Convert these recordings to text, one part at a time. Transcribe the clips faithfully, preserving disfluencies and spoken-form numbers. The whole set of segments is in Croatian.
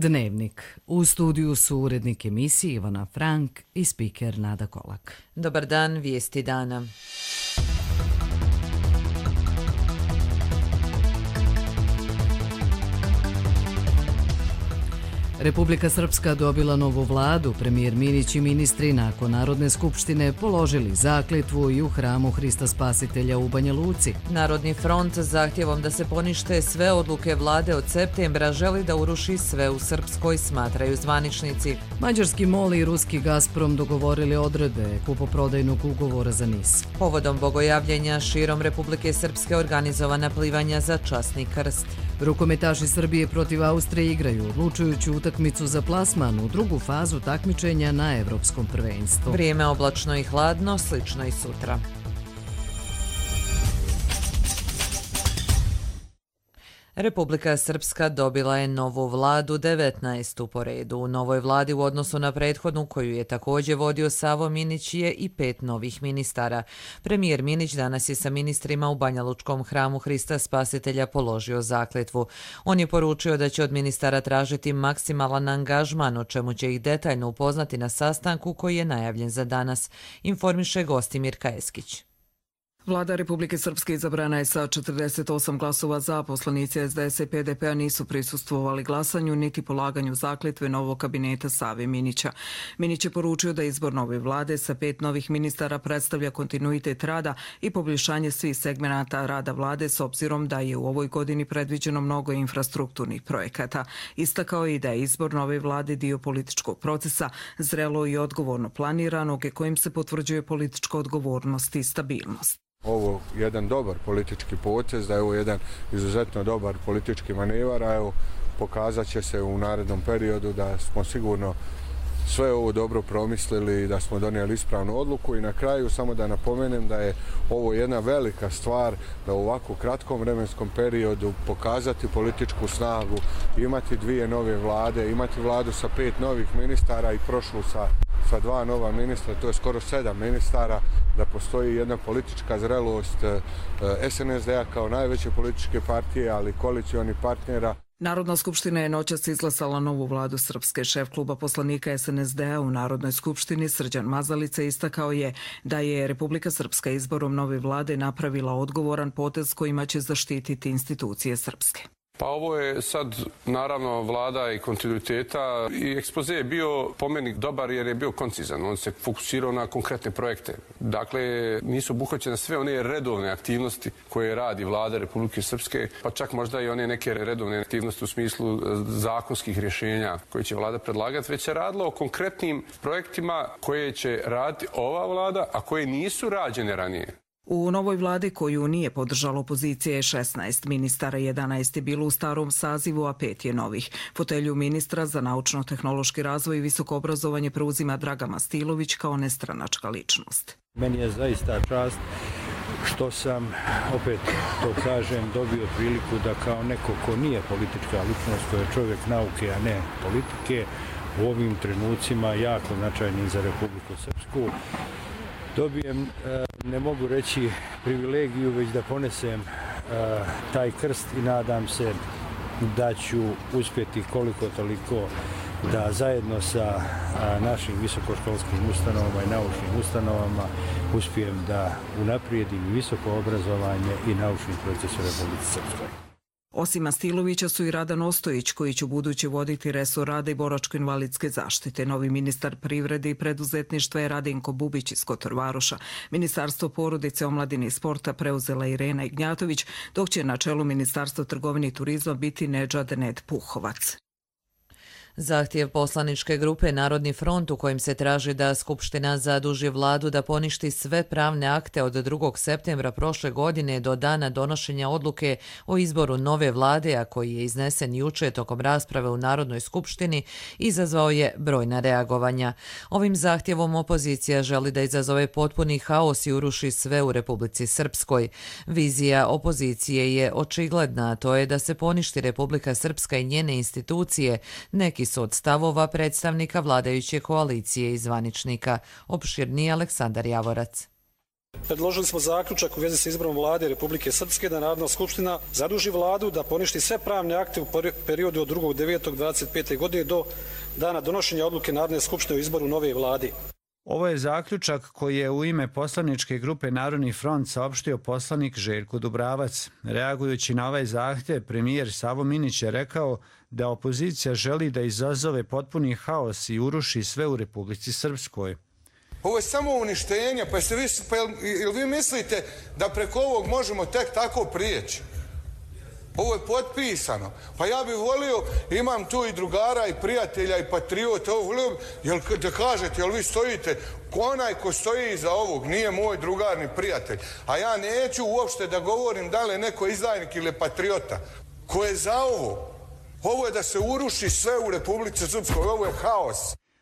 Dnevnik. U studiju su urednik emisije Ivana Frank i spiker Nada Kolak. Dobar dan, vijesti dana. Republika Srpska dobila novu vladu. Premijer Minić i ministri nakon Narodne skupštine položili zakletvu i u hramu Hrista Spasitelja u Banja Luci. Narodni front zahtjevom da se ponište sve odluke vlade od septembra želi da uruši sve u Srpskoj, smatraju zvaničnici. Mađarski MOL i ruski Gazprom dogovorili odredbe kupoprodajnog ugovora za NIS. Povodom bogojavljenja širom Republike Srpske organizovana plivanja za časni krst. Rukometaši Srbije protiv Austrije igraju odlučujuću utakmicu za plasman u drugu fazu takmičenja na Evropskom prvenstvu. Vrijeme oblačno i hladno, slično i sutra. Republika Srpska dobila je novu vladu, devetnaestu po redu. U novoj vladi u odnosu na prethodnu, koju je također vodio Savo Minić, je i pet novih ministara. Premijer Minić danas je sa ministrima u Banjalučkom hramu Hrista Spasitelja položio zakletvu. On je poručio da će od ministara tražiti maksimalan angažman, o čemu će ih detaljno upoznati na sastanku koji je najavljen za danas, informiše Gostimir Kajeskić. Vlada Republike Srpske izabrana je sa četrdeset osam glasova za. Poslanici S D S i P D P-a nisu prisustvovali glasanju niti polaganju zakletve novog kabineta Save Minića. Minić je poručio da izbor nove vlade sa pet novih ministara predstavlja kontinuitet rada i poboljšanje svih segmenata rada vlade s obzirom da je u ovoj godini predviđeno mnogo infrastrukturnih projekata. Istakao je i da je izbor nove vlade dio političkog procesa, zrelo i odgovorno planiranog i kojim se potvrđuje politička odgovornost i stabilnost. Ovo je jedan dobar politički potez, da je ovo jedan izuzetno dobar politički manevar, a evo pokazat će se u narednom periodu da smo sigurno sve ovo dobro promislili i da smo donijeli ispravnu odluku. I na kraju samo da napomenem da je ovo jedna velika stvar, da u ovako kratkom vremenskom periodu pokazati političku snagu, imati dvije nove vlade, imati vladu sa pet novih ministara i prošlu sa, sa dva nova ministra, to je skoro sedam ministara, da postoji jedna politička zrelost S N S D-a kao najveće političke partije, ali koalicionih partnera. Narodna skupština je noćas izglasala novu vladu Srpske. Šef kluba poslanika S N S D-a u Narodnoj skupštini Srđan Mazalica istakao je da je Republika Srpska izborom nove vlade napravila odgovoran potez kojima će zaštititi institucije Srpske. Pa ovo je sad naravno vlada i kontinuiteta i ekspoze je bio po meni dobar jer je bio koncizan. On se fokusirao na konkretne projekte. Dakle, nisu obuhvaćene sve one redovne aktivnosti koje radi vlada Republike Srpske, pa čak možda i one neke redovne aktivnosti u smislu zakonskih rješenja koje će vlada predlagati, već se radilo o konkretnim projektima koje će raditi ova vlada, a koje nisu rađene ranije. U novoj vladi koju nije podržala opozicija je šesnaest ministara, jedanaest je bilo u starom sazivu, a pet je novih. Fotelju ministra za naučno-tehnološki razvoj i visoko obrazovanje preuzima Draga Mastilović kao nestranačka ličnost. Meni je zaista čast što sam, opet to kažem, dobio priliku da kao neko ko nije politička ličnost, ko je čovjek nauke, a ne politike, u ovim trenucima jako značajni za Republiku Srpsku, dobijem, ne mogu reći privilegiju, već da ponesem taj krst i nadam se da ću uspjeti koliko toliko da zajedno sa našim visokoškolskim ustanovama i naučnim ustanovama uspijem da unaprijedim visoko obrazovanje i naučni proces u Republici Srpskoj. Osim Mastilovića su i Radan Ostojić, koji će buduće voditi resor rada i boračko-invalidske zaštite. Novi ministar privrede i preduzetništva je Radinko Bubić iz Kotorvaroša. Ministarstvo porodice, omladine i sporta preuzela Irena Ignjatović, dok će na čelu Ministarstva trgovine i turizma biti Nedžad Ned Puhovac. Zahtjev poslaničke grupe Narodni front u kojim se traži da Skupština zaduži vladu da poništi sve pravne akte od drugog septembra prošle godine do dana donošenja odluke o izboru nove vlade, a koji je iznesen juče tokom rasprave u Narodnoj skupštini, izazvao je brojna reagovanja. Ovim zahtjevom opozicija želi da izazove potpuni haos i uruši sve u Republici Srpskoj. Vizija opozicije je očigledna, a to je da se poništi Republika Srpska i njene institucije. Neki su od stavova predstavnika vladajuće koalicije i zvaničnika. Opširniji Aleksandar Javorac. Predložili smo zaključak u vezi sa izborom vlade Republike Srpske da Narodna skupština zaduži vladu da poništi sve pravne akte u periodu od drugog devetog dvadeset pete. godine do dana donošenja odluke Narodne skupštine o izboru nove vlade. Ovo je zaključak koji je u ime poslaničke grupe Narodni front saopštio poslanik Željko Dubravac. Reagujući na ovaj zahtjev, premijer Savo Minić je rekao da opozicija želi da izazove potpuni haos i uruši sve u Republici Srpskoj. Ovo je samo uništenje, pa, se vi, pa jel, jel vi mislite da preko ovog možemo tek tako prijeći? Ovo je potpisano. Pa ja bih volio, imam tu i drugara i prijatelja i patriota, ovo volio, jel, da kažete, jel vi stojite, onaj ko stoji iza ovog nije moj drugar ni prijatelj. A ja neću uopšte da govorim da li je neko izdajnik ili patriota. Ko je za ovo? Ovo je da se uruši sve u Republici Srpskoj, ovo je haos.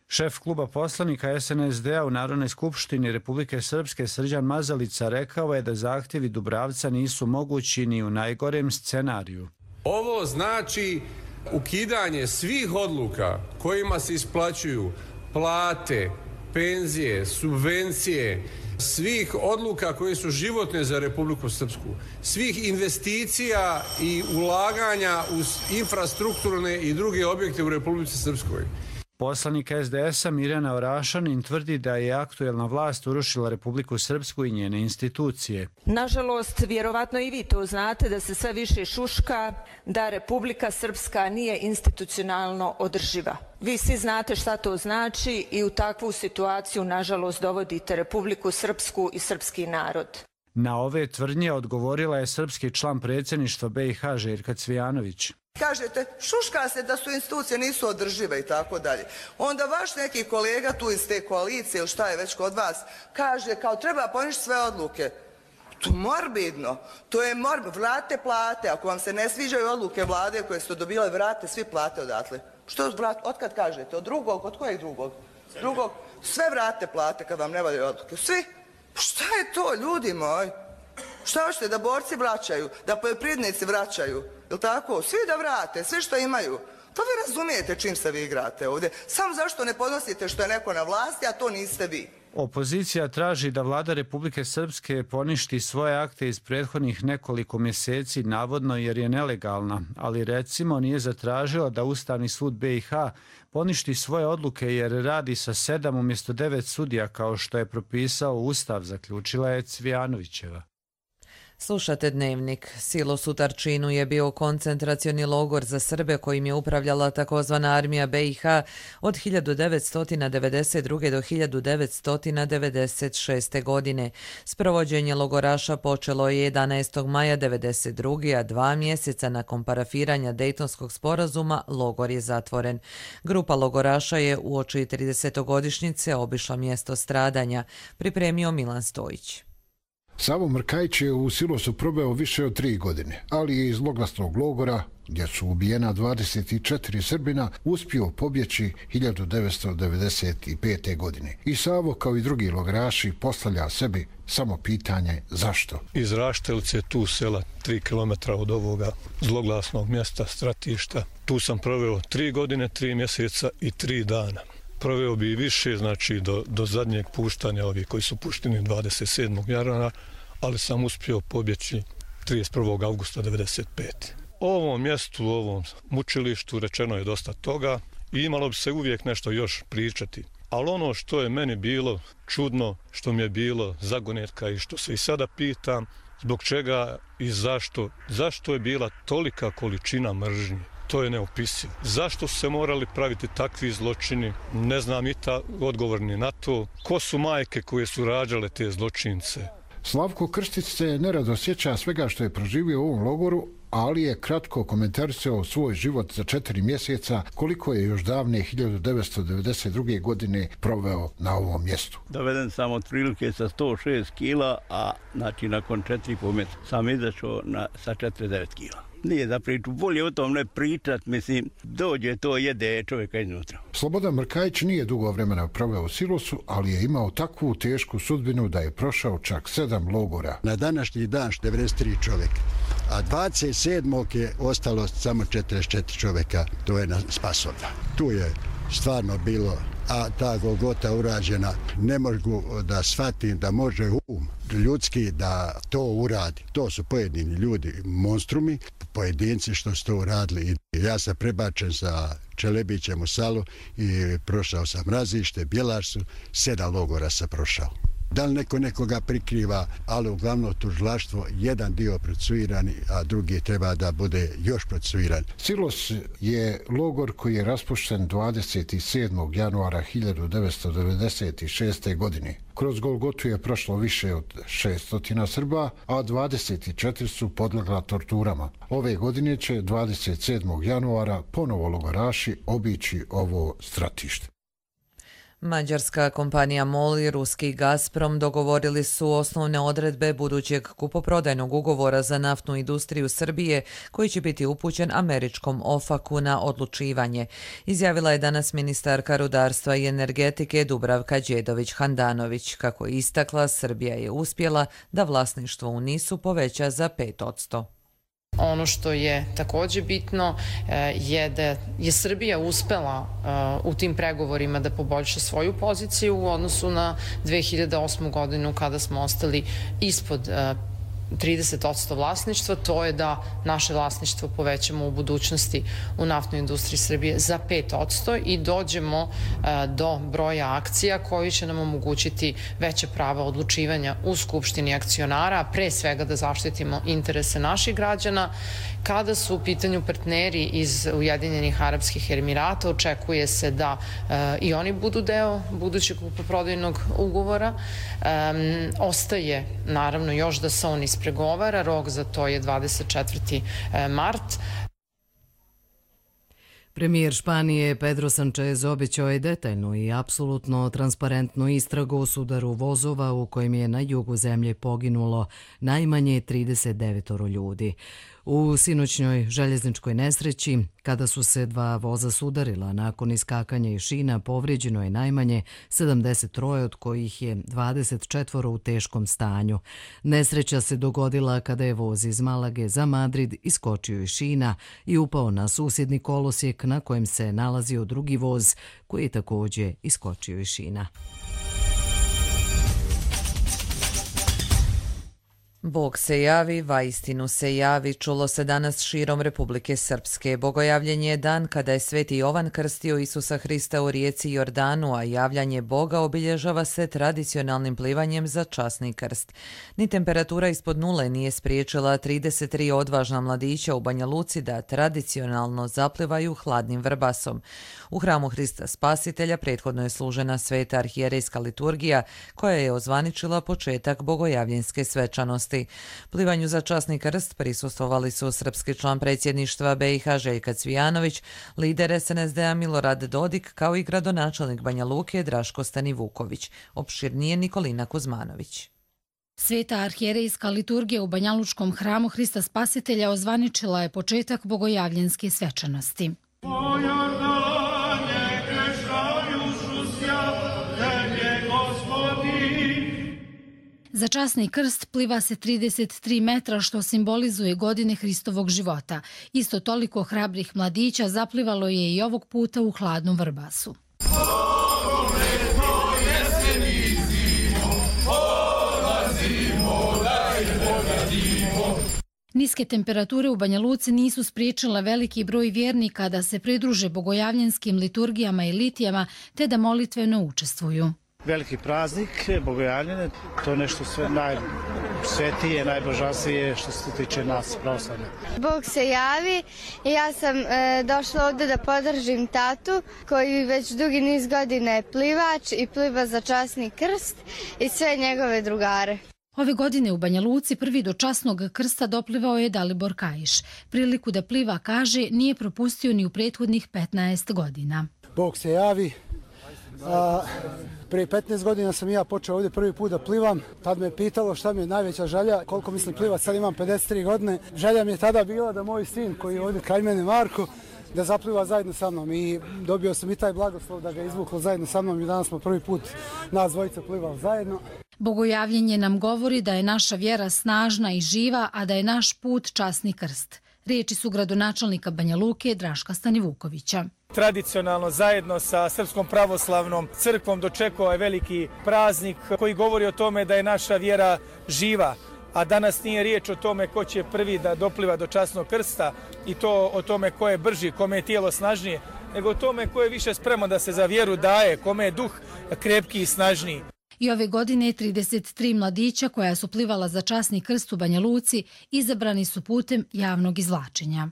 Šef kluba poslanika es en es de a u Narodnoj skupštini Republike Srpske Srđan Mazalica rekao je da zahtjevi Dubravca nisu mogući ni u najgorem scenariju. Ovo znači ukidanje svih odluka kojima se isplaćuju plate, penzije, subvencije, svih odluka koje su životne za Republiku Srpsku, svih investicija i ulaganja u infrastrukturne i druge objekte u Republici Srpskoj. Poslanik es de es a Mirjana Orašanin tvrdi da je aktuelna vlast urušila Republiku Srpsku i njene institucije. Nažalost, vjerovatno i vi to znate da se sve više šuška da Republika Srpska nije institucionalno održiva. Vi svi znate šta to znači i u takvu situaciju, nažalost, dovodite Republiku Srpsku i srpski narod. Na ove tvrdnje odgovorila je srpski član predsjedništva be i ha Željka Cvijanović. Kažete, šuška se da su institucije nisu održive i tako dalje. Onda vaš neki kolega tu iz te koalicije ili šta je već kod vas kaže kao treba poništiti sve odluke. To je morbidno. To je morbidno. Vrate plate. Ako vam se ne sviđaju odluke vlade koje ste dobile, vrate svi plate odatle. Što vrate? Otkad kažete? Od drugog? Od kojeg drugog? Drugog? Sve vrate plate kad vam ne valjaju odluke. Svi? Šta je to, ljudi moji? Šta hoćete, da borci vraćaju, da poljoprivrednici vraćaju, jel tako? Svi da vrate, sve što imaju. To vi razumijete čim se vi igrate ovdje. Samo zašto ne podnosite što je neko na vlasti, a to niste vi. Opozicija traži da vlada Republike Srpske poništi svoje akte iz prethodnih nekoliko mjeseci, navodno jer je nelegalna, ali recimo nije zatražila da Ustavni sud be i ha poništi svoje odluke jer radi sa sedam umjesto devet sudija kao što je propisao Ustav, zaključila je Cvijanovićeva. Slušate Dnevnik. Silos u Tarčinu je bio koncentracioni logor za Srbe kojim je upravljala takozvana armija be i ha od hiljadu devetsto devedeset druge. do hiljadu devetsto devedeset šeste. godine. Sprovođenje logoraša počelo je jedanaestog maja devedeset druge. a dva mjeseca nakon parafiranja Dejtonskog sporazuma logor je zatvoren. Grupa logoraša je uoči tridesetogodišnjice obišla mjesto stradanja, pripremio Milan Stojić. Savo Mrkajić je u Silosu probao više od tri godine, ali je iz zloglasnog logora, gdje su ubijena dvadeset četiri Srbina, uspio pobjeći hiljadu devetsto devedeset pete. godine. I Savo, kao i drugi logoraši, postavlja sebi samo pitanje zašto. Iz Raštelice, tu sela, tri kilometra od ovoga zloglasnog mjesta, stratišta, tu sam proveo tri godine, tri mjeseca i tri dana. Proveo bi i više, znači do, do zadnjeg puštanja ovih koji su pušteni dvadeset sedmog januara, ali sam uspio pobjeći trideset prvog avgusta devedeset pete. O ovom mjestu, u ovom mučilištu rečeno je dosta toga i imalo bi se uvijek nešto još pričati. Ali ono što je meni bilo čudno, što mi je bilo zagonetka i što se i sada pitam, zbog čega i zašto, zašto je bila tolika količina mržnje. To je neopisivo. Zašto su se morali praviti takvi zločini? Ne znam i ta odgovorni na to. Ko su majke koje su rađale te zločince? Slavko Krstić se nerado sjeća svega što je proživio u ovom logoru, ali je kratko komentarisao svoj život za četiri mjeseca, koliko je još davne hiljadu devetsto devedeset druge. godine proveo na ovom mjestu. Doveden sam otprilike sa sto šest kila, a znači nakon četiri i pol mjeseca sam izašao na, sa četrdeset devet kila. Nije za priču, bolje o tom ne pričat, mislim, dođe to, jede čovjeka iznutra. Slobodan Mrkajić nije dugo vremena proveo u Silosu, ali je imao takvu tešku sudbinu da je prošao čak sedam logora. Na današnji dan devedeset tri čovjeka, a dvadeset sedmog je ostalo samo četrdeset četiri čovjeka, to je na Spasovda. Tu je stvarno bilo a ta Golgota urađena, ne mogu da shvatim da može um ljudski da to uradi. To su pojedini ljudi, monstrumi, pojedinci što su to uradili. Ja sam prebačen sa Čelebićem u Salu i prošao sam Razište, Bjelarsu, sedam logora sam prošao. Da li neko nekoga prikriva, ali uglavnom tužilaštvo, jedan dio procesuirani, a drugi treba da bude još procesuiran. Silos je logor koji je raspušten dvadeset sedmog januara hiljadu devetsto devedeset šeste. godine. Kroz Golgotu je prošlo više od šesto Srba, a dvadeset četiri su podlegla torturama. Ove godine će dvadeset sedmog januara ponovo logoraši obići ovo stratište. Mađarska kompanija MOL i ruski Gazprom dogovorili su osnovne odredbe budućeg kupoprodajnog ugovora za naftnu industriju Srbije, koji će biti upućen američkom ofaku na odlučivanje, izjavila je danas ministarka rudarstva i energetike Dubravka Đedović-Handanović. Kako je istakla, Srbija je uspjela da vlasništvo u NIS-u poveća za pet posto. Ono što je također bitno je da je Srbija uspela u tim pregovorima da poboljša svoju poziciju u odnosu na dve hiljade osmu. godinu kada smo ostali ispod trideset posto vlasništva. To je da naše vlasništvo povećamo u budućnosti u naftnoj industriji Srbije za pet posto i dođemo do broja akcija koji će nam omogućiti veće prava odlučivanja u Skupštini akcionara, a pre svega da zaštitimo interese naših građana. Kada su u pitanju partneri iz Ujedinjenih Arapskih Emirata, očekuje se da i oni budu deo budućeg kupoprodajnog ugovora. Ostaje naravno još da se on ispregovara, rok za to je dvadeset četvrti mart. Premijer Španije Pedro Sanchez obećao je detaljnu i apsolutno transparentnu istragu o sudaru vozova u kojem je na jugu zemlje poginulo najmanje trideset devet ljudi. U sinoćnjoj željezničkoj nesreći, kada su se dva voza sudarila nakon iskakanja iz šina, povrijeđeno je najmanje sedamdeset tri, od kojih je dvadeset četiri u teškom stanju. Nesreća se dogodila kada je voz iz Malage za Madrid iskočio iz šina i upao na susjedni kolosijek na kojem se nalazio drugi voz koji je također iskočio iz šina. Bog se javi, vaistinu se javi, čulo se danas širom Republike Srpske. Bogojavljenje je dan kada je Sveti Jovan krstio Isusa Hrista u rijeci Jordanu, a javljanje Boga obilježava se tradicionalnim plivanjem za časni krst. Ni temperatura ispod nule nije spriječila trideset tri odvažna mladića u Banja Luci da tradicionalno zaplivaju hladnim vrbasom. U hramu Hrista Spasitelja prethodno je služena sveta arhijerejska liturgija koja je ozvaničila početak bogojavljenske svečanosti. Plivanju za časni krst prisustvovali su srpski član predsjedništva B i H Željka Cvijanović, lider S N S D-a Milorad Dodik, kao i gradonačelnik Banja Luke Draško Stanivuković. Opširnije Nikolina Kuzmanović. Sveta arhijerejska liturgija u Banjalučkom hramu Hrista Spasitelja ozvaničila je početak bogojavljenske svečanosti. Za časni krst pliva se trideset tri metra, što simbolizuje godine Hristovog života. Isto toliko hrabrih mladića zaplivalo je i ovog puta u hladnom vrbasu. Niske temperature u Banja Luci nisu spriječile veliki broj vjernika da se pridruže bogojavljenskim liturgijama i litijama te da molitveno učestvuju. Veliki praznik, bogojavljene, to je nešto sve najsvetije, najbožanstije što se tiče nas pravoslavne. Bog se javi i ja sam e, došla ovdje da podržim tatu koji već dugi niz godina je plivač i pliva za časni krst i sve njegove drugare. Ove godine u Banja Luci prvi do časnog krsta doplivao je Dalibor Kajiš. Priliku da pliva, kaže, nije propustio ni u prethodnih petnaest godina. Bog se javi. A, prije petnaest godina sam ja počeo ovdje prvi put da plivam. Tad me pitalo šta mi je najveća želja, koliko mislim plivat, sad imam pedeset tri godine. Želja mi je tada bila da moj sin koji je ovdje kraj mene, Marko, da zapliva zajedno sa mnom i dobio sam i taj blagoslov da ga izvuklo zajedno sa mnom i danas smo prvi put nas dvojica plivali zajedno. Bogojavljenje nam govori da je naša vjera snažna i živa, a da je naš put časni krst. Riječi su gradonačelnika Banja Luke Draška Stanivukovića. Tradicionalno zajedno sa Srpskom pravoslavnom crkvom dočekao je veliki praznik koji govori o tome da je naša vjera živa, a danas nije riječ o tome ko će prvi da dopliva do časnog krsta i to o tome ko je brži, kome je tijelo snažnije, nego o tome ko je više spreman da se za vjeru daje, kome je duh krepki i snažniji. I ove godine trideset tri mladića koja su plivala za časni krst u Banja Luci izabrani su putem javnog izvlačenja.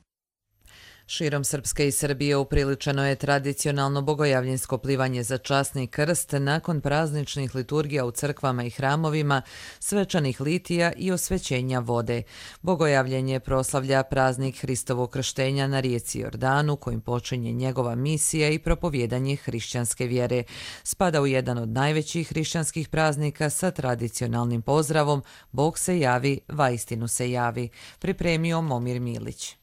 Širom Srpske i Srbije upriličeno je tradicionalno bogojavljensko plivanje za časni krst nakon prazničnih liturgija u crkvama i hramovima, svečanih litija i osvećenja vode. Bogojavljenje proslavlja praznik Hristovog krštenja na rijeci Jordanu, kojim počinje njegova misija i propovjedanje hrišćanske vjere. Spada u jedan od najvećih hrišćanskih praznika sa tradicionalnim pozdravom Bog se javi, vaistinu se javi, pripremio Momir Milić.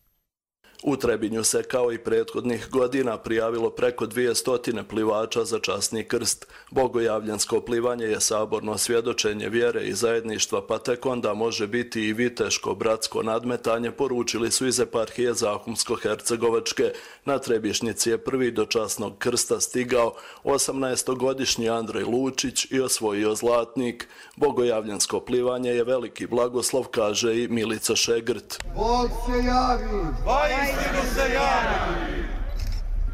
U Trebinju se kao i prethodnih godina prijavilo preko dvjesto plivača za časni krst. Bogojavljansko plivanje je saborno svjedočenje vjere i zajedništva, pa tek onda može biti i viteško bratsko nadmetanje, poručili su iz eparhije Zahumsko-Hercegovačke. Na Trebišnjici je prvi do časnog krsta stigao osamnaestogodišnji Andrej Lučić i osvojio zlatnik. Bogojavljansko plivanje je veliki blagoslov, kaže i Milica Šegrt. Bog se javi! Vaistinu se javi!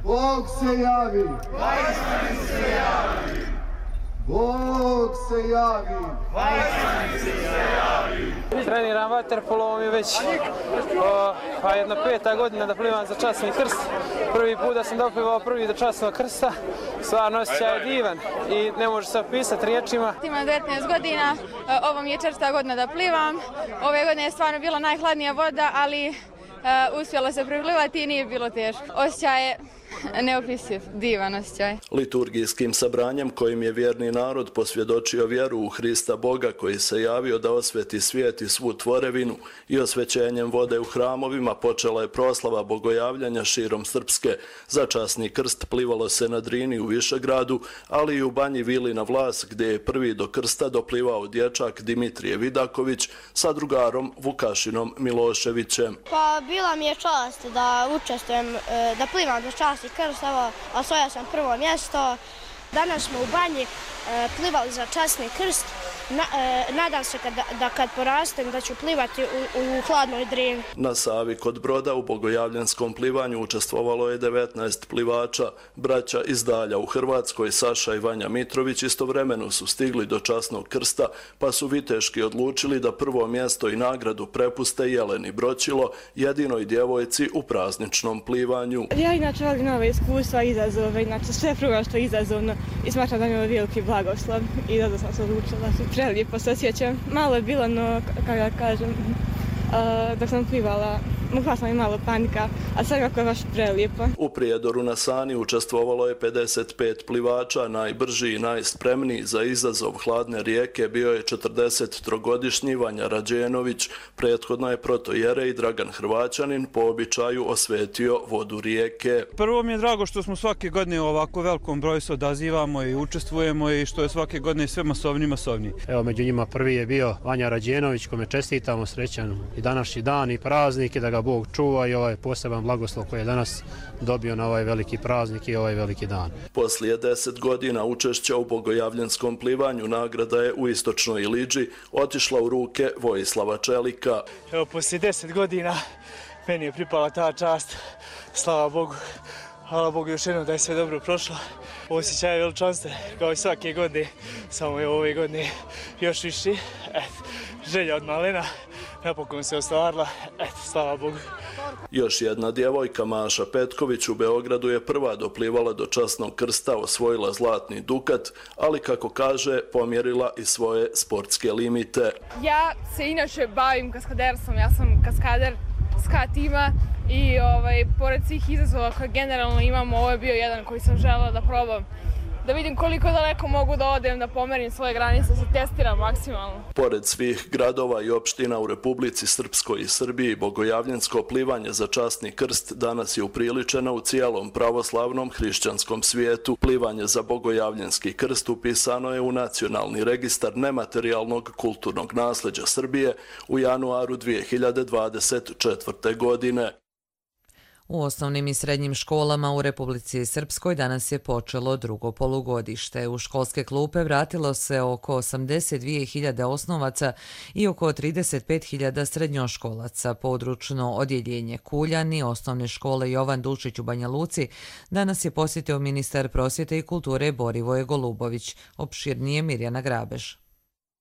Bog se javi! Vaistinu se javi! Bog se javi! Vaistinu se javi! Treniram vaterpolo, ovo mi je već o, pa jedna peta godina da plivam za časni krst. Prvi put da sam doplivao prvi do časnog krsta, stvarno osjećaj je divan i ne može se opisati riječima. Imam devetnaest godina, ovo mi je četvrta godina da plivam. Ove godine je stvarno bila najhladnija voda, ali Uh, uspjelo se priplivati i nije bilo teško. Osjećaj je neopisiv, divan osjećaj. Liturgijskim sabranjem kojim je vjerni narod posvjedočio vjeru u Hrista Boga koji se javio da osveti svijet i svu tvorevinu i osvećenjem vode u hramovima počela je proslava bogojavljanja širom Srpske. Za časni krst plivalo se na Drini u Višegradu, ali i u Banji Vili na Vlas gdje je prvi do krsta doplivao dječak Dimitrije Vidaković sa drugarom Vukašinom Miloševićem. Pa bila mi je čast da učestvujem, da plivam za časni krst, evo, osvojio sam prvo mjesto. Danas smo u banji e, plivali za časni krst. Na, e, nadam se kad, da kad porastem da ću plivati u, u hladnoj Drini. Na Savi kod Broda u bogojavljanskom plivanju učestvovalo je devetnaest plivača. Braća iz Dalja u Hrvatskoj, Saša i Vanja Mitrović, istovremeno su stigli do časnog krsta, pa su viteški odlučili da prvo mjesto i nagradu prepuste Jeleni Broćilo, jedinoj djevojci u prazničnom plivanju. Ja inače volim nove iskustva i izazove, inače sve prvo što je izazovno i smatram da mi je ovo veliki blagoslov i zato sam se odlučila. Prelijepo se osjećam. Malo je bilo, no, kako ja kažem, uh, dok sam plivala, mogla sam i malo panika, a sad kako je baš prelijepo. U Prijedoru na Sani učestvovalo je pedeset pet plivača, najbrži i najspremniji za izazov hladne rijeke bio je četrdesettrogodišnji Vanja Rađenović. Prethodno je protojerej Dragan Hrvaćanin po običaju osvetio vodu rijeke. Prvo mi je drago što smo svake godine u ovako velikom broju se odazivamo i učestvujemo i što je svake godine sve masovniji masovniji. Evo, među njima prvi je bio Vanja Rađenović, kome čestitamo srećan i današnji dan i praznik i da ga Bog čuva i ovaj poseban blagoslov koji je danas dobio na ovaj veliki praznik i ovaj veliki dan. Poslije deset godina učešća u bogojavljanskom plivanju nagrada je u Istočnoj Iliđi otišla u ruke Vojislava Čelika. Evo, poslije deset godina meni je pripala ta čast, slava Bogu. Hvala Bogu još jednom da je sve dobro prošlo. Osjećaj je veličanstven kao i svake godine, samo je ove godine još viši. Et, želja od malena napokon se ostvarila, et, slava Bogu. Još jedna djevojka, Maša Petković, u Beogradu je prva doplivala do časnog krsta, osvojila zlatni dukat, ali kako kaže, pomjerila i svoje sportske limite. Ja se inače bavim kaskaderstvom, ja sam kaskader ska tima i ovaj, pored svih izazova koje generalno imamo, ovo je bio jedan koji sam želela da probam. Da vidim koliko daleko mogu da odem, da pomerim svoje granice, da se testiram maksimalno. Pored svih gradova i opština u Republici Srpskoj i Srbiji, bogojavljansko plivanje za časni krst danas je upriličeno u cijelom pravoslavnom hrišćanskom svijetu. Plivanje za bogojavljanski krst upisano je u Nacionalni registar nematerijalnog kulturnog nasljeđa Srbije u januaru dvije hiljade dvadeset četvrte. godine. U osnovnim i srednjim školama u Republici Srpskoj danas je počelo drugo polugodište. U školske klupe vratilo se oko osamdeset dvije hiljade osnovaca i oko trideset pet hiljada srednjoškolaca. Područno odjeljenje Kuljani osnovne škole Jovan Dučić u Banja Luci danas je posjetio ministar prosvjete i kulture Borivoje Golubović. Opširnije Mirjana Grabež.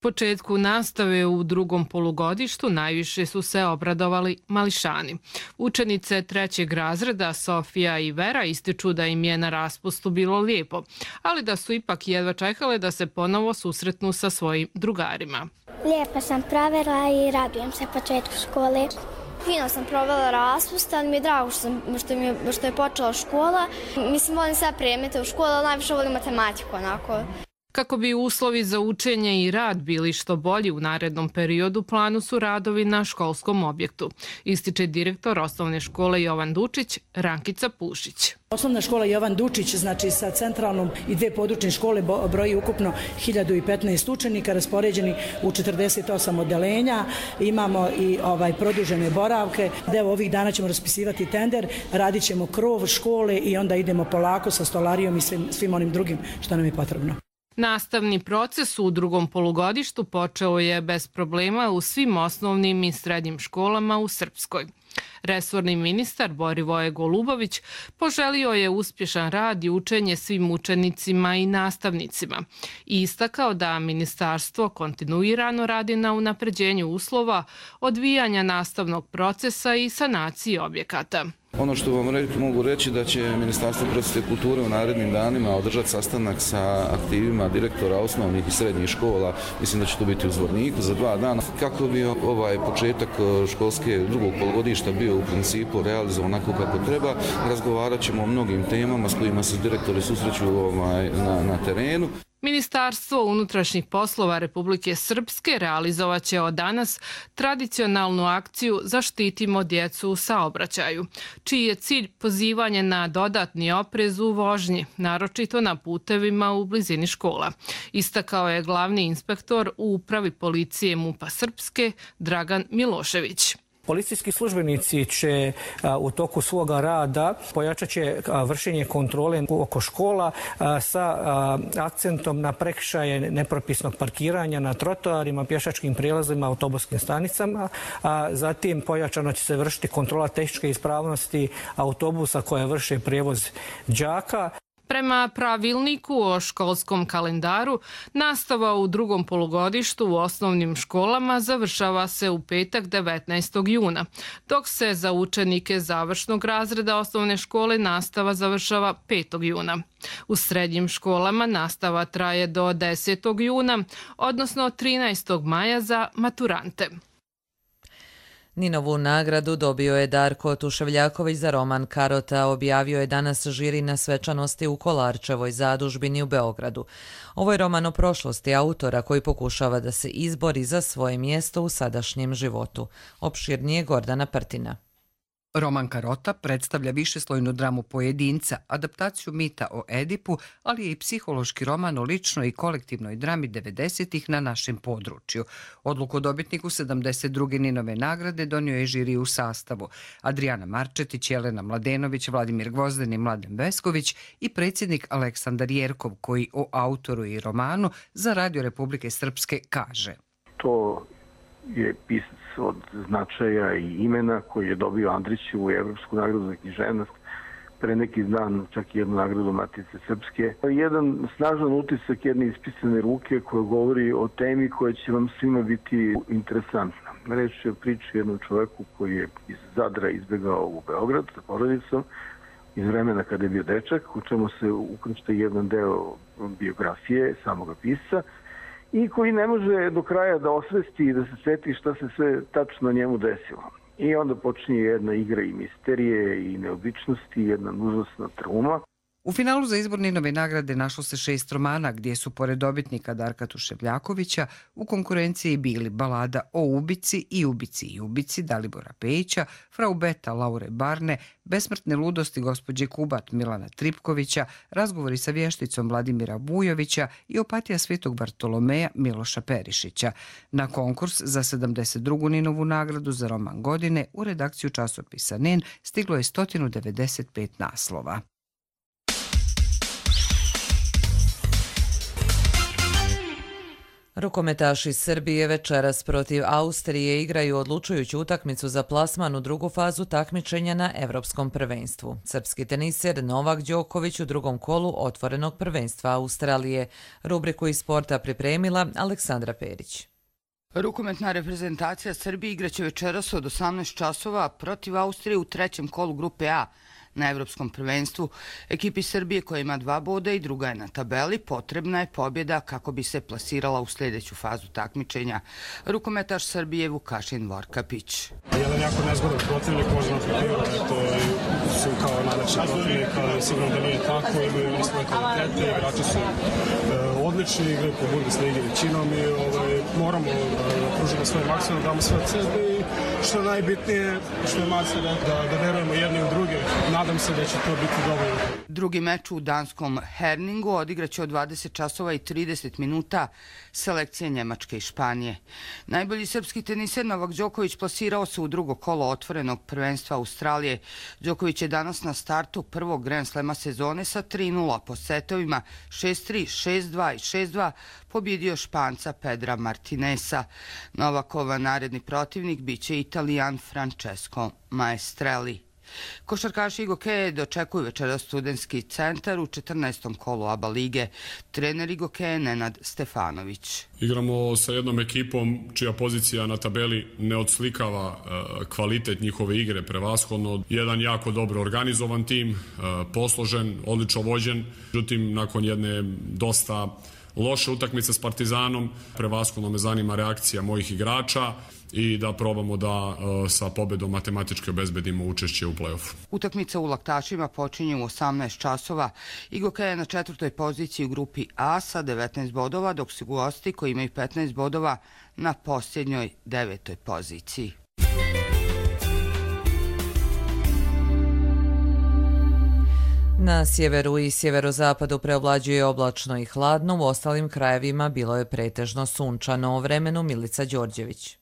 Početku nastave u drugom polugodištu najviše su se obradovali mališani. Učenice trećeg razreda Sofija i Vera ističu da im je na raspustu bilo lijepo, ali da su ipak jedva čekale da se ponovo susretnu sa svojim drugarima. Lijepo sam provela i radujem se početku škole. Fino sam provela raspust, ali mi je drago što, sam, što, mi je, što je počela škola. Mislim, volim sve predmete u školu, ali najviše volim matematiku onako. Kako bi uslovi za učenje i rad bili što bolji u narednom periodu, planu su radovi na školskom objektu, ističe direktor osnovne škole Jovan Dučić, Rankica Pušić. Osnovna škola Jovan Dučić, znači sa centralnom i dve područne škole, broji ukupno hiljadu petnaest učenika raspoređeni u četrdeset osam odeljenja. Imamo i ovaj produžene boravke. Evo, ovih dana ćemo raspisivati tender, radit ćemo krov škole i onda idemo polako sa stolarijom i svim, svim onim drugim što nam je potrebno. Nastavni proces u drugom polugodištu počeo je bez problema u svim osnovnim i srednjim školama u Srpskoj. Resorni ministar Borivoje Golubović poželio je uspješan rad i učenje svim učenicima i nastavnicima i istakao da ministarstvo kontinuirano radi na unapređenju uslova, odvijanja nastavnog procesa i sanaciji objekata. Ono što vam re, mogu reći da će Ministarstvo prosvjete i kulture u narednim danima održati sastanak sa aktivima direktora osnovnih i srednjih škola. Mislim da će to biti u Zvorniku za dva dana. Kako bi ovaj početak školske drugog polugodišta bio u principu realizovan onako kako treba, razgovarat ćemo o mnogim temama s kojima se direktori susreću ovaj, na, na terenu. Ministarstvo unutrašnjih poslova Republike Srpske realizovat će od danas tradicionalnu akciju Zaštitimo djecu u saobraćaju, čiji je cilj pozivanje na dodatni oprez u vožnji, naročito na putevima u blizini škola. Istakao je glavni inspektor u upravi policije MUP-a Srpske Dragan Milošević. Policijski službenici će a, u toku svoga rada pojačat će a, vršenje kontrole oko škola a, sa a, akcentom na prekršaje nepropisnog parkiranja na trotoarima, pješačkim prijelazima, autobuskim stanicama. A, zatim pojačano će se vršiti kontrola tehničke ispravnosti autobusa koje vrše prijevoz đaka. Prema pravilniku o školskom kalendaru, nastava u drugom polugodištu u osnovnim školama završava se u petak devetnaestog juna, dok se za učenike završnog razreda osnovne škole nastava završava petog juna. U srednjim školama nastava traje do desetog juna, odnosno trinaestog maja za maturante. Ninovu nagradu dobio je Darko Tuševljaković za roman Karota, objavio je danas žiri na svečanosti u Kolarčevoj zadužbini u Beogradu. Ovo je roman o prošlosti autora koji pokušava da se izbori za svoje mjesto u sadašnjem životu. Opširnije Gordana Prtina. Roman Karota predstavlja višeslojnu dramu pojedinca, adaptaciju mita o Edipu, ali je i psihološki roman o ličnoj i kolektivnoj drami devedesetih na našem području. Odluku dobitniku sedamdeset druge Ninove nagrade donio je žiri u sastavu Adriana Marčetić, Jelena Mladenović, Vladimir Gvozden i Mladen Vesković i predsjednik Aleksandar Jerkov, koji o autoru i romanu za Radio Republike Srpske kaže. To je pisac od značaja i imena koji je dobio Andrićevu Evropsku nagradu za književnost, pre neki dan čak i jednu nagradu Matice Srpske. Jedan snažan utisak jedne ispisane ruke koja govori o temi koja će vam svima biti interesantna. Reč je o priči jednom čoveku koji je iz Zadra izbjegao u Beograd sa porodicom iz vremena kada je bio dečak, u čemu se ukršta jedan deo biografije samoga pisca, i koji ne može do kraja da osvesti i da se sveti šta se sve tačno njemu desilo. I onda počinje jedna igra i misterije i neobičnosti, jedna užasna trauma. U finalu za izbor Ninove nagrade našlo se šest romana gdje su pored dobitnika Darka Tuševljakovića u konkurenciji bili Balada o ubici i ubici i ubici Dalibora Pejića, Frau Beta Laure Barne, Besmrtne ludosti gospođe Kubat Milana Tripkovića, Razgovori sa vješticom Vladimira Vujovića i Opatija Svetog Bartolomeja Miloša Perišića. Na konkurs za sedamdeset drugu Ninovu nagradu za roman godine u redakciju časopisa Nin stiglo je sto devedeset pet naslova. Rukometaši Srbije večeras protiv Austrije igraju odlučujuću utakmicu za plasman u drugu fazu takmičenja na Evropskom prvenstvu. Srpski teniser Novak Đoković u drugom kolu otvorenog prvenstva Australije. Rubriku iz sporta pripremila Aleksandra Perić. Rukometna reprezentacija Srbije igraće večeras od osamnaest časova protiv Austrije u trećem kolu grupe A. Na Evropskom prvenstvu ekipi Srbije koja ima dva boda i druga je na tabeli potrebna je pobjeda kako bi se plasirala u sljedeću fazu takmičenja. Rukometaš Srbije Vukašin Vorkapić. Jedan jako nezgodan protivnik, možda na papiru, eto, su kao najlepši protivnik, ali sigurno da nije tako, imaju i svoje kvalitete, igrači su e, odlični, igraju po Bundesligi većinom i ovaj, moramo da pružimo svoj maksimum, damo sve od sebe i što je najbitnije, što je Marca da, da verujemo jedni u druge. Nadam se da će to biti dovoljno. Drugi meč u danskom Herningu odigraće od dvadeset časova i trideset minuta selekcije Njemačke i Španije. Najbolji srpski teniser Novak Đoković plasirao se u drugo kolo otvorenog prvenstva Australije. Đoković je danas na startu prvog Grand Slema sezone sa tri nula po setovima šest tri, šest dva i šest dva pobjedio Španca Pedra Martinesa. Novakova naredni protivnik biće Italijan Francesco Maestrelli. Košarkaši Igokeje dočekuju večeras Studentski centar u četrnaestom kolu A B A lige. Trener Igokeje Nenad Stefanović. Igramo sa jednom ekipom čija pozicija na tabeli ne odslikava kvalitet njihove igre prevashodno. Jedan jako dobro organizovan tim, posložen, odlično vođen. Međutim, nakon jedne dosta loše utakmice s Partizanom, prevashodno me zanima reakcija mojih igrača i da probamo da uh, sa pobedom matematički obezbedimo učešće u play-offu. Utakmica u Laktašima počinje u osamnaest časova. Igokeja je na četvrtoj poziciji u grupi A sa devetnaest bodova, dok su gosti koji imaju petnaest bodova na posljednjoj devetoj poziciji. Na sjeveru i sjeverozapadu preovlađuje oblačno i hladno, u ostalim krajevima bilo je pretežno sunčano. O vremenu Milica Đorđević.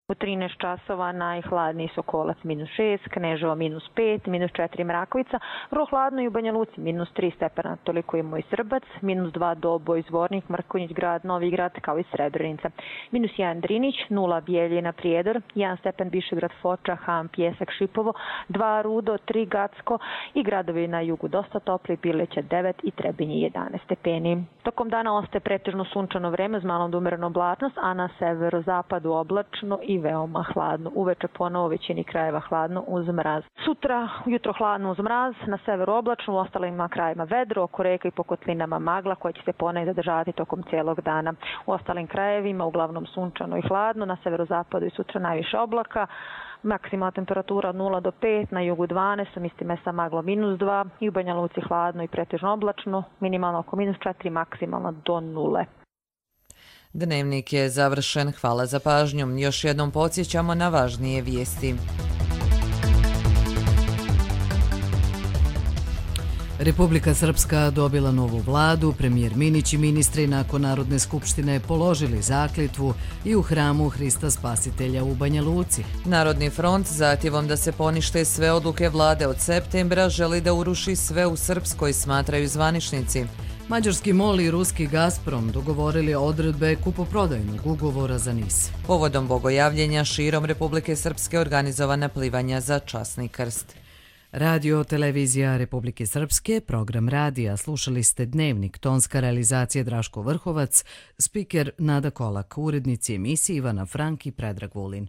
U trinaest časova najhladniji Sokolac minus šest, Kneževo minus pet, minus četiri Mrakovica, vrlo hladno i u Banja Luci minus tri stepena, toliko je Moj Srbac, minus dva Doboj, Zvornik, Mrkonjić grad, Novi grad kao i Srebrenica, minus jedan Drinić, nula Bijeljina Prijedor, jedan stepen Višegrad Foča, Ham, Pjesak, Šipovo, dva Rudo, tri Gacko i gradovi na jugu dosta topli, Bileća devet i Trebinje jedanaest stepeni. Tokom dana ostaje pretežno sunčano vreme uz malom da umerenu oblačnost, a na severozapadu oblačno i veoma hladno. Uveče ponovo većini krajeva hladno uz mraz. Sutra ujutro hladno uz mraz, na severu oblačno, u ostalim krajevima vedro, oko reka i po kotlinama magla koja će se ponegdje zadržavati tokom cijelog dana. U ostalim krajevima uglavnom sunčano i hladno, na severozapadu i sutra najviše oblaka. Maksimalna temperatura od nula do pet, na jugu dvanaest, u istim mesta maglo minus dva i u Banja Luci hladno i pretežno oblačno, minimalno oko minus četiri, maksimalno do nule. Dnevnik je završen. Hvala za pažnju. Još jednom podsjećamo na važnije vijesti. Republika Srpska dobila novu vladu, premijer Minić i ministri nakon Narodne skupštine položili zakletvu i u hramu Hrista Spasitelja u Banja Luci. Narodni front zahtjevom da se ponište sve odluke vlade od septembra želi da uruši sve u Srpskoj, smatraju zvaničnici. Mađarski MOL i ruski Gazprom dogovorili odredbe kupoprodajnog ugovora za NIS. Povodom bogojavljenja širom Republike Srpske organizovana plivanja za časni krst. Radio Televizija Republike Srpske, program radija, slušali ste Dnevnik, tonska realizacija Draško Vrhovac, spiker Nada Kolak, urednici emisije Ivana Frank i Predrag Vulin.